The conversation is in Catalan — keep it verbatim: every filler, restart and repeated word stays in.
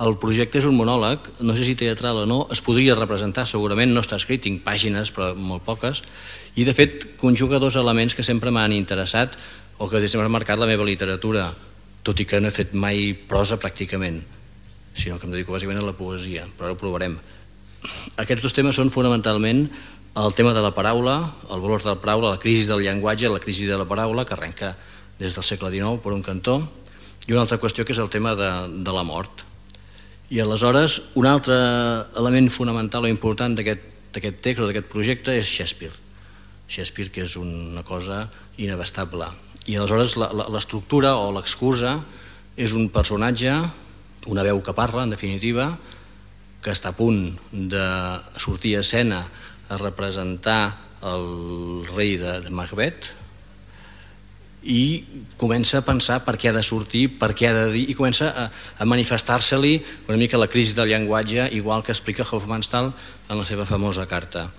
El projecte és un monòleg, no sé si teatral o no, es podria representar, segurament no està escrit, tinc pàgines però molt poques, i de fet conjuga dos elements que sempre m'han interessat o que sempre han marcat la meva literatura, tot i que no he fet mai prosa pràcticament, sinó que em dedico bàsicament a la poesia, però ara ho provarem. Aquests dos temes són fonamentalment el tema de la paraula, el valor de la paraula, la crisi del llenguatge, la crisi de la paraula, que arrenca des del segle dinou per un cantó, i una altra qüestió que és el tema de, de la mort. I aleshores, un altre element fonamental o important d'aquest text o d'aquest projecte és Shakespeare. Shakespeare, que és una cosa inabastable. I aleshores l'estructura o l'excusa és un personatge, una veu que parla, en definitiva, que està a punt de sortir a escena a representar el rei de, de Macbeth, i comença a pensar per què ha de sortir, per què ha de dir, i comença a, a manifestar-se-li una mica la crisi del llenguatge, igual que explica Hofmannsthal en la seva famosa carta.